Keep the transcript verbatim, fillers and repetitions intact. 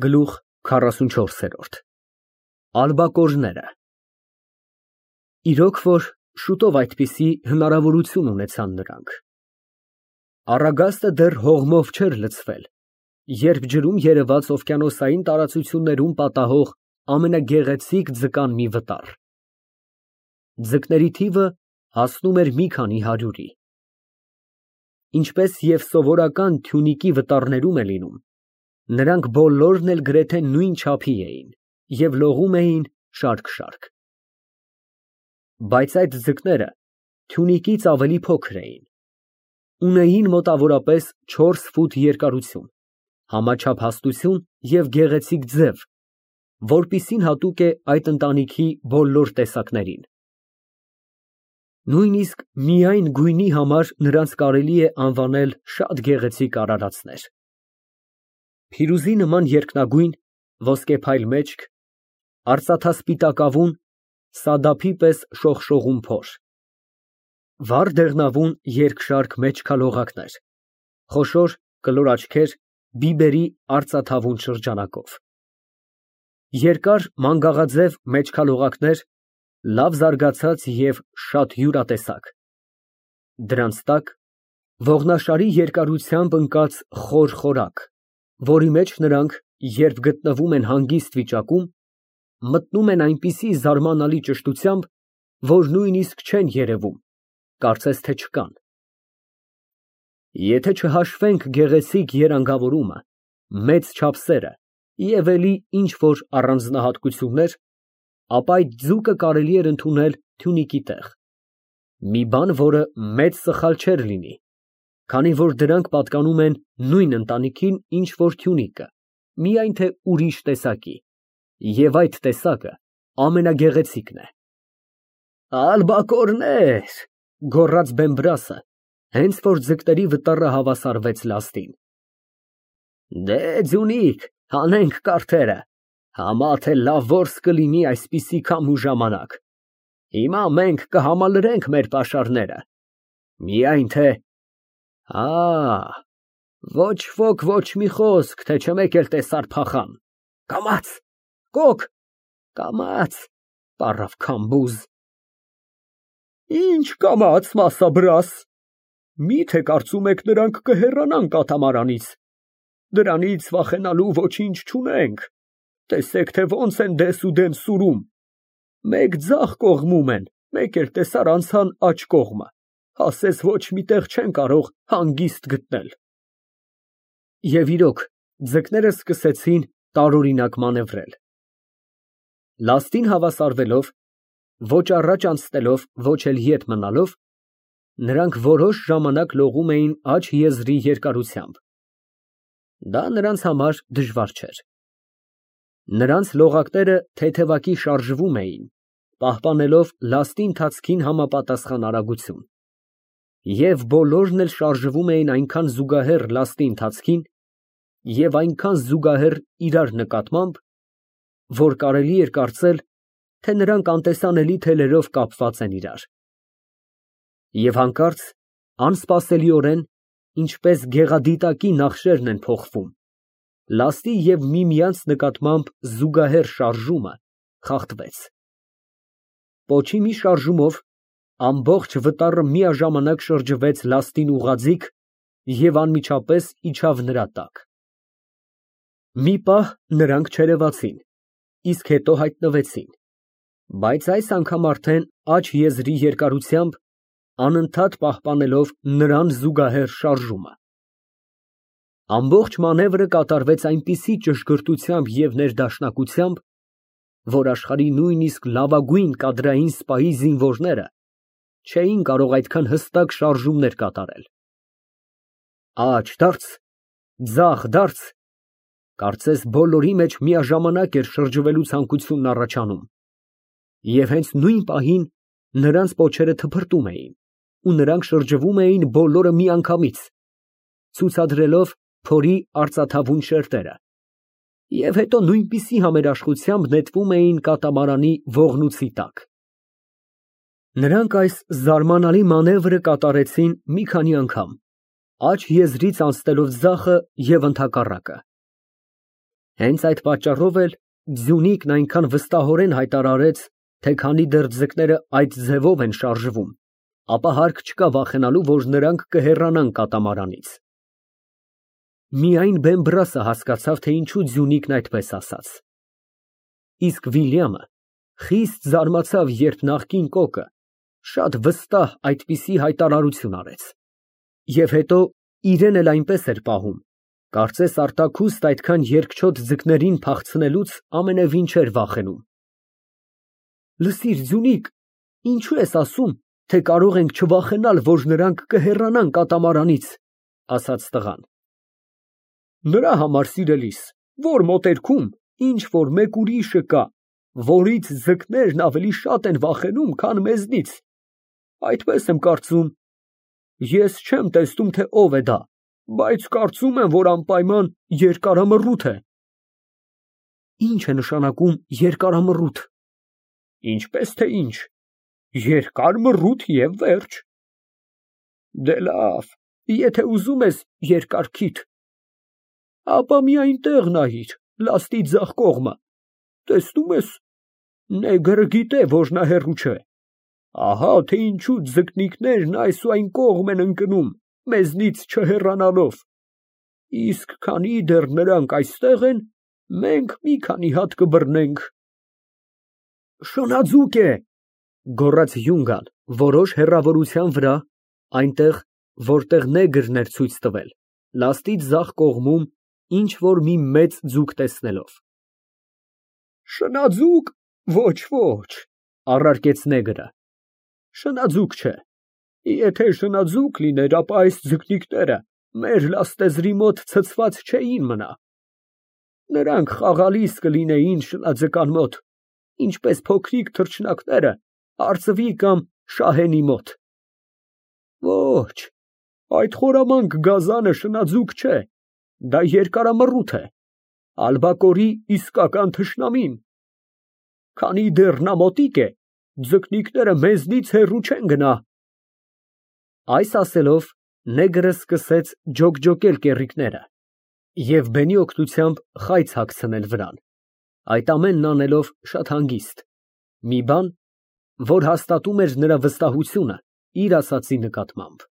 Գլուխ քառասունչորս։ Ալբակորները։ Իրոք որ շուտով այդպիսի հնարավորություն ունեցան նրանք։ Առագաստը դեռ հողմով չէր լցվել, երբ ջրում երևաց օվկիանոսային տարածություններում պատահող ամենագեղեցիկ ձկան մի վտար։ Ձկների թիվը հասնում էր մի քանի հարյուրի։ Ինչպես և սովորական թյունիկի վտարներում է լինում, նրանք բոլորն էլ գրեթե նույն չափի էին և լողում էին շարք֊շարք։ Բայց այդ ձկները թյունիկից ավելի փոքր էին, ունեին մոտավորապես չորս ֆուտ երկարություն, համաչափ հաստություն և գեղեցիկ ձև, որպիսին հատուկ է այդ ընտանիքի բոլոր տեսակներին։ Նույնիսկ միայն գույնի համար նրանց կարելի է անվանել շատ գեղեցիկ արարածներ։ Փիրուզի նման երկնագույն, ոսկեփայլ մեջք, արծաթասպիտակավուն, սադափի պես շողշողուն փոր, վառ դեղնավուն երկշարք մեջքալողակներ, խոշոր կլոր աչքեր բիբերի արծաթավուն շրջանակով, երկար մանգաղաձև մեջքալողակներ, լավ զարգացած և շատ յուրատեսակ, դրանց տակ ողնաշարի երկարությամբ ընկած խոր խորակ, որի մեջ նրանք, երբ գտնվում են հանգիստ վիճակում, մտնում են այնպիսի զարմանալի ճշտությամբ, որ նույնիսկ չեն երևում, կարծես թե չկան։ Եթե չհաշվենք գեղեցիկ երանգավորումը, մեծ չափսերը և էլի ինչ֊որ առանձնահատկություններ, ապա այդ ձուկը կարելի էր ընդունել թյունիկի տեղ, մի բան, որը մեծ սխալ չէր լինի, քանի որ դրանք պատկանում են նույն ընտանիքին, ինչ որ թյունիկը, միայն թե ուրիշ տեսակի, և այդ տեսակը ամենագեղեցիկն է։ Ալբակորներ, գոռաց Բեմբրասը, հենց որ ձկների վտարը հավասարվեց լաստին։ Դե ձյունիկ, հանենք կարթերը, համա թե լավ որս կլինի այսպիսի քամու ժամանակ, հիմա մենք կհամալրենք մեր պաշարները, միայն թե… Հա, ոչ ոք ոչ մի խոսք, թե չմեկ էլ տեսար փախան, կամաց, կոկ, կամաց, պառավ քամբուզ։ Ինչ կամաց, մասաբրաս, միթե կարծում եք նրանք կհեռանան կատամարանից, դրանից վախենալու ոչինչ չունենք, տեսեք, թե ոնց են դեսուդեն սուրում, մեկ ձախ կողմում են, մեկ էլ տեսար անցան աջ կողմը, ասես ոչ մի տեղ չեն կարող հանգիստ գտնել։ Եվ իրոք, ձկները սկսեցին տարօրինակ մանևրել։ Լաստին հավասարվելով, ոչ առաջ անցնելով, ոչ էլ ետ մնալով, նրանք որոշ ժամանակ լողում էին աջ եզրի երկարությամբ։ Դա նրանց համար դժվար չէր։ Նրանց լողակները թեթևակի շարժվում էին, պահպանելով լաստի ընթացքին համապատասխան արագություն, և բոլորն էլ շարժվում էին այնքան զուգահեռ լաստի ընթացքին և այնքան զուգահեռ իրար նկատմամբ, որ կարելի էր կարծել, թե նրանք անտեսանելի թելերով կապված են իրար։ Եվ հանկարծ, անսպասելիորեն, ինչպես գեղադիտակի նախշերն են փոխվում, լաստի և միմյանց նկատմամբ զուգահեռ շարժումը խախտվեց։ Պոչի մի շարժումով ամբողջ վտարը միաժամանակ շրջվեց լաստին ուղղաձիգ և անմիջապես իջավ նրա տակ։ Մի պահ նրանք չերևացին, իսկ հետո հայտնվեցին, բայց այս անգամ արդեն աջ եզրի երկարությամբ, անընդհատ պահպանելով նրան զուգահեռ շարժումը։ Ամբողջ մանևրը կատարվեց այնպիսի ճշգրտությամբ և ներդաշնակությամբ, որ աշխարհի նույնիսկ լավագույն կադրային սպայի զինվորները չէին կարող այդքան հստակ շարժումներ կատարել։ Աջ դարձ, ձախ դարձ, կարծես բոլորի մեջ միաժամանակ էր շրջվելու ցանկությունն առաջանում, և հենց նույն պահին նրանց պոչերը թփրտում էին, ու նրանք շրջվում էին բոլորը միանգամից, ցուցադրելով փորի արծաթավուն շերտերը, և հետո նույնպիսի համերաշխությամբ նետվում էին կատամարանի ողնույթի տակ։ Նրանք այս զարմանալի մանևրը կատարեցին մի քանի անգամ, աջ եզրից անցնելով ձախը և ընդհակառակը։ Հենց այդ պատճառով էլ Ձյունիկն այնքան վստահորեն հայտարարեց, թե քանի դեռ ձկները այդ ձևով են շարժվում, ապա հարկ չկա վախենալու, որ նրանք կհեռանան կատամարանից։ Միայն Բեմբրասը հասկացավ, թե ինչու Ձյունիկն այդպես ասաց։ Իսկ Վիլյամը խիստ զարմացավ, երբ նախկին կոկը շատ վստահ այդպիսի հայտարարություն արեց։ Եվ հետո իրեն էլ այնպես էր պահում, կարծես արտաքուստ այդքան երկչոտ ձկներին փախցնելուց ամենևին չէր վախենում։ Լսիր, Ձյունիկ, ինչու ես ասում, թե կարող ենք չվախենալ, որ նրանք կհեռանան կատամարանից, ասաց տղան։ Նրա համար, սիրելիս, որ մոտերքում ինչ որ մեկ ուրիշը կա, որից ձկներն ավելի շատ են վախենում, քան մեզնից, այդպես եմ կարծում։ Ես չեմ տեսնում, թե ով է դա, բայց կարծում եմ, որ անպայման երկարամռութ է։ Ինչ է նշանակում երկարամռութ։ Ինչպես թե ինչ, երկար մռութ և վերջ։ Դե լավ, եթե ուզում ես երկար քիթ, ապա մի այնտեղ նայիր, լաստի ձախ կողմը, տեսնում ես, նեգրը գիտե, որ նա հեռու չէ, ահա թե ինչու ձկնիկներն այս ու այն կողմ են ընկնում, մեզնից չհեռանալով, իսկ քանի դեռ նրանք այստեղ են, մենք մի քանի հատ կբռնենք։ Շնաձուկ է, գոռաց Յունգան որոշ հեռավորության վրա, այնտեղ, որտեղ նեգրն էր ցույց տվել, լաստի ձախ կողմում ինչ որ մի մեծ ձուկ տեսնելով։ Շնաձուկ, ոչ, ոչ, առարկեց նեգրը, շնաձուկ չէ, եթե շնաձուկ լիներ, ապա այս ձկնիկները մեր լաստեզրի մոտ ցցված չէին մնա, նրանք խաղալիս կլինեին շնաձկան մոտ, ինչպես փոքրիկ թռչնակները արծվի կամ շահենի մոտ։ Ոչ, այդ խորամանկ գազանը շնաձուկ չէ, դա երկարամռութ է, ալբակորի իսկական թշնամին։ Քանի դեռ նա մոտիկ է, ձկնիկները մեզնից հեռու չեն գնա։ Այս ասելով, նեգրը սկսեց ջոկջոկել կեռիկները և բենի օգնությամբ խայծ հագցնել վրան, այդ ամենն անելով շատ հանգիստ, մի բան, որ հաստատում էր նրա վստահությունը իր ասածի նկատմամբ։